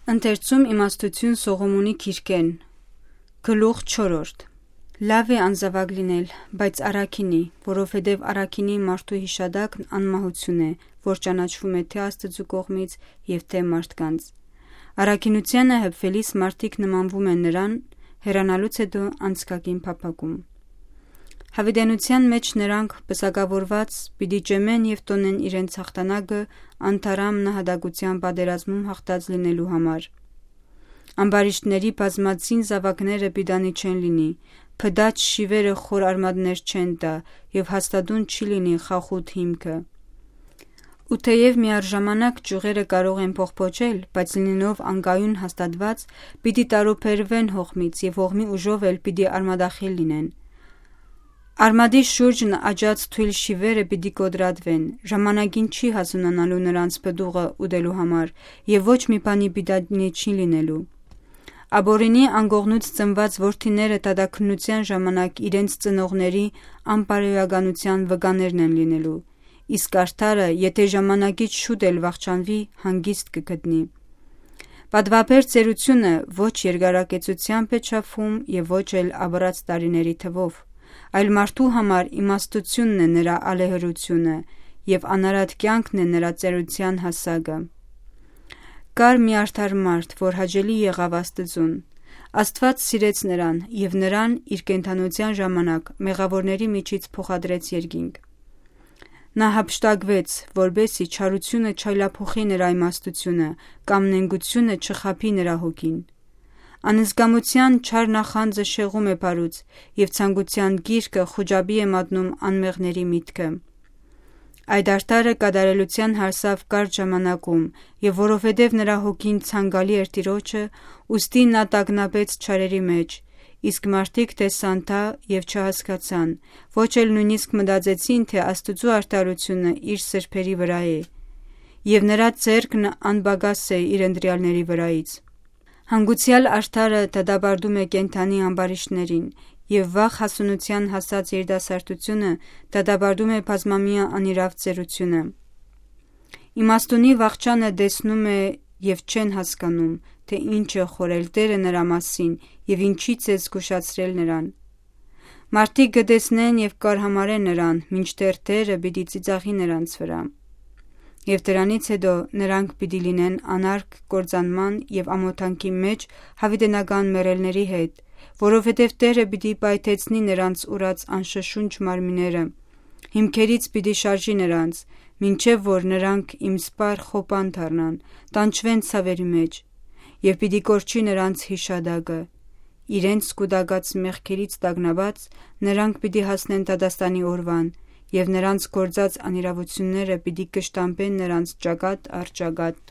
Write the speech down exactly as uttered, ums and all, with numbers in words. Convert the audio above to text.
Ընթերցում իմաստութիւն Սողոմոնի գիրքէն, գլուխ չորրորդ։ Լաւ է անզաւակ լինել, բայց առաքինի, որովհետեւ առաքինի մարդու յիշատակն անմահութիւն է, որ ճանաչվում է թէ Աստուծոյ կողմից եւ թէ մարդկանց։ Առաքինութեանը հպվելիս մարդիկ նմանվում են նրան, հեռանալուց յետոյ անցկակին փափաքում։ Յաւիտենութեան մէջ նրանք պսակաւորուած պիտի ճեմեն եւ տոնեն իրենց յաղթանակը անթարամ նահատակութեան պատերազմում յաղթած լինելու համար։ Ամբարիշտների բազմածին զաւակները պիտանի չեն լինի, փտած շիվերը խոր արմատներ չեն տայ եւ հաստատուն չի լինի խախուտ հիմքը։ Ու թէեւ միառժամանակ ճիւղերը կարող են փոխփոչել, բայց լինելով անկայուն հաստատուած, պիտի տարուբերուեն հողմից եւ հողմի ուժով էլ պիտի արմատախիլ լինեն։ Արմատի շուրջն աճած թոյլ շիվերը պիտի կոտրատուեն, ժամանակին չի հասունանալու նրանց պտուղը ուտելու համար եւ ոչ մի բանի պիտանի չի լինելու։ Աբորինի անկողնուց ծնուած որդիները դատաքննութեան ժամանակ իրենց ծնողների անպարոյականութեան վկաներն են լինելու, իսկ արդարը, եթէ ժամանակից շուտ էլ վախճանուի, հանգիստ կը գտնի։ Պատուաբեր ծերությունը ոչ երկարակեցութեամբ է չափվում եւ ոչ էլ ապրած տարիների թվով, այլ մարդու համար իմաստութիւնն է նրա ալեհրութիւնը եւ անարատ կեանքն է նրա ծերության հասակը։ Կար մի արդար մարդ, որ հաճելի եղաւ Աստուծուն։ Աստուած սիրեց նրան եւ նրան իր կենդանութեան ժամանակ մեղաւորների միջից փոխադրեց երկինք։ Նա հափշտակուեց, որպէսզի չարությունը չայլափոխի նրա իմաստութիւնը կամ նենգութիւնը չխաբի նրա հոգին։ Անզգամութեան չար նախանձը շեղում է բարուց եւ ցանկութեան գիրկը խուճապի է մատնում անմեղների միտքը։ Այդ արդարը կատարելութեան հասաւ կարճ ժամանակում եւ որովհետեւ նրա հոգին ցանկալի էր Տիրոջը, ուստի նա տագնապեց չարերի մէջ, իսկ մարդիկ տեսան դա եւ չհասկացան, ոչ էլ նոյնիսկ մտածեցին, թէ Աստուծոյ արդարութիւնը իր սրբերի վրայ է եւ նրա ձեռքն անպակաս է իր ընտրեալների վրայից։ Հանգուցեալ արդարը դատապարտում է կենդանի ամբարիշտներին եւ վաղ հասունութեան հասած երիտասարդությունը դատապարտում է բազմամեայ անիրաւ ծերությունը։ Իմաստունի վախճանը տեսնում է եւ չեն հասկանում, թէ ինչ է խորհել Տէրը նրա մասին եւ ինչից է զգուշացրել նրան։ Մարդիկ կը տեսնեն եւ կ'արհամարեն նրան, մինչդեռ Տէրը պիտի ծիծաղի նրանց վրայ։ Եւ դրանից յետոյ նրանք պիտի լինեն անարգ կործանման եւ ամօթանքի մէջ յաւիտենական մեռելների հետ, որովհետեւ Տէրը պիտի պայթեցնի նրանց ուրած անշշունչ մարմինները, հիմքերից պիտի շարժի նրանց, մինչեւ որ նրանք իմ սպառ խոպան դառնան, տանջուեն ցաւերի մէջ, եւ պիտի կորչի նրանց յիշատակը։ Իրենց կուտակած մեղքերից տագնապած՝ նրանք պիտի հասնեն դատաստանի օրուան, եւ նրանց գործած անիրաւութիւնները պիտի կշտամբեն նրանց ճակատ առ ճակատ։